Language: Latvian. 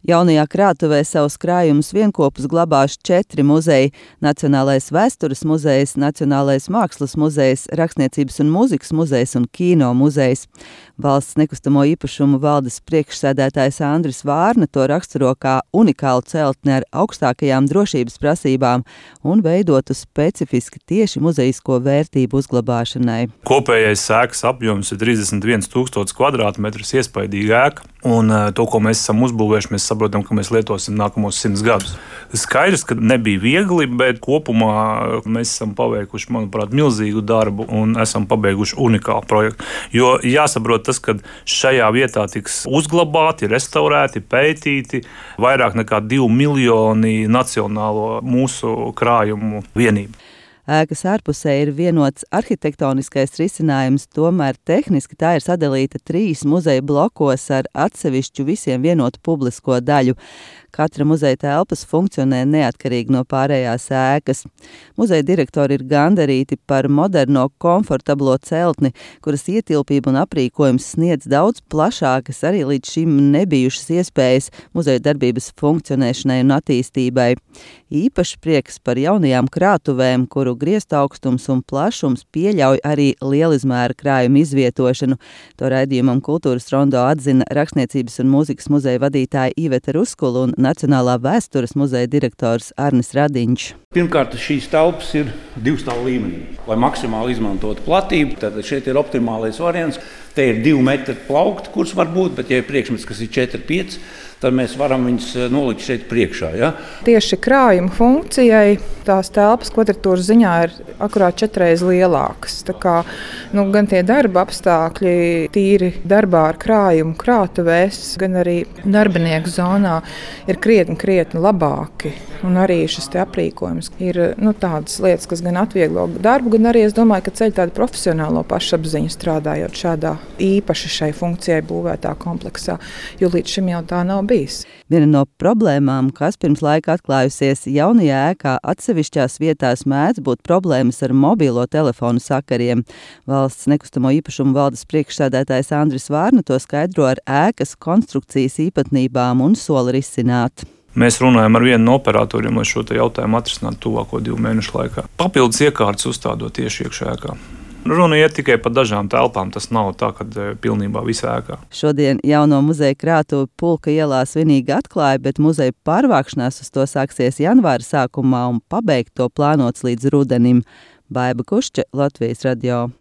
Jaunajā krātuvē savus krājumus vienkopus glabās 4 muzeji – Nacionālais vēstures muzejs, Nacionālais mākslas muzejs, Rakstniecības un mūzikas muzejs un Kino muzejs. Valsts nekustamo īpašumu valdes priekšsēdētājs Andris Vārna to raksturo kā unikālu celtni ar augstākajām drošības prasībām un veidotu specifiski tieši muzejisko vērtību uzglabāšanai. Kopējais ēkas apjoms ir 31 000 kvadrātmetrus, iespaidīga ēka. Un to, ko mēs esam uzbūvējuši, mēs saprotam, ka mēs lietosim nākamos 100 gadus. Skaidrs, ka nebija viegli, bet kopumā mēs esam paveikuši, manuprāt, milzīgu darbu un esam pabeiguši unikālu projektu. Jo jāsaprot tas, ka šajā vietā tiks uzglabāti, restaurēti, pētīti vairāk nekā 2 miljoni nacionālo mūsu krājumu vienību. Ēkas ārpusē ir vienots arhitektoniskais risinājums, tomēr tehniski tā ir sadalīta 3 muzeja blokos ar atsevišķu visiem vienotu publisko daļu. Katra muzeja telpas funkcionē neatkarīgi no pārējās ēkas. Muzeja direktori ir gandarīti par moderno, komfortablo celtni, kuras ietilpība un aprīkojums sniedz daudz plašākas, arī līdz šim nebijušas iespējas muzeja darbības funkcionēšanai un attīstībai. Īpaši prieks par jaunajām krātuvēm, kuru griezaugstums un plašums pieļauj arī lielizmēra krājuma izvietošanu. To raidījumam Kultūras rondo atzina Rakstniecības un mūzikas muzeja vadītāja Iveta Ruskula un Nacionālā vēstures muzeja direktors Arnis Radiņš. Pirmkārt, šīs telpas ir 2 stāvu līmenī, lai maksimāli izmantotu platību. Tad šeit ir optimālais variants. Te ir 2 metri plaukti, kurš var būt, bet ja ir priekšmets, kas ir 4-5, tad mēs varam viņus nolikt šeit priekšā. Ja? Tieši krājuma funkcijai tās telpas kvadratūras ziņā ir akurāt 4 reizes lielākas. Tā kā, gan tie darba apstākļi tīri darbā ar krājumu krātuvēs, gan arī darbinieku zonā ir krietni labāki. Un arī šis te aprīkojums ir tādas lietas, kas gan atvieglo darbu, gan arī es domāju, ka ceļ tādu profesionālo pašapziņu strādājot šādā īpaši šai funkcijai būvētā kompleksā, jo līdz šim jau tā nav bijis. Viena no problēmām, kas pirms laika atklājusies jaunajā ēkā, atsevišķās vietās mēdz būt problēmas ar mobilo telefonu sakariem. Valsts nekustamo īpašumu valdes priekšsēdētājs Andris Vārna to skaidro ar ēkas konstrukcijas īpatnībām un sola risināt. Mēs runājam ar vienu no operatoriem, lai šo jautājumu atrisinātu tuvāko 2 mēnešu laikā. Papildus iekārtas uzstādot tieši iekšā ēkā. Runa iet tikai par dažām telpām, tas nav tā, ka pilnībā visā ēkā. Šodien jauno muzeja krātuvi Pulka ielā svinīgi atklāja, bet muzeja pārvākšanās uz to sāksies janvāra sākumā un pabeigt to plānots līdz rudenim. Baiba Kušče, Latvijas radio.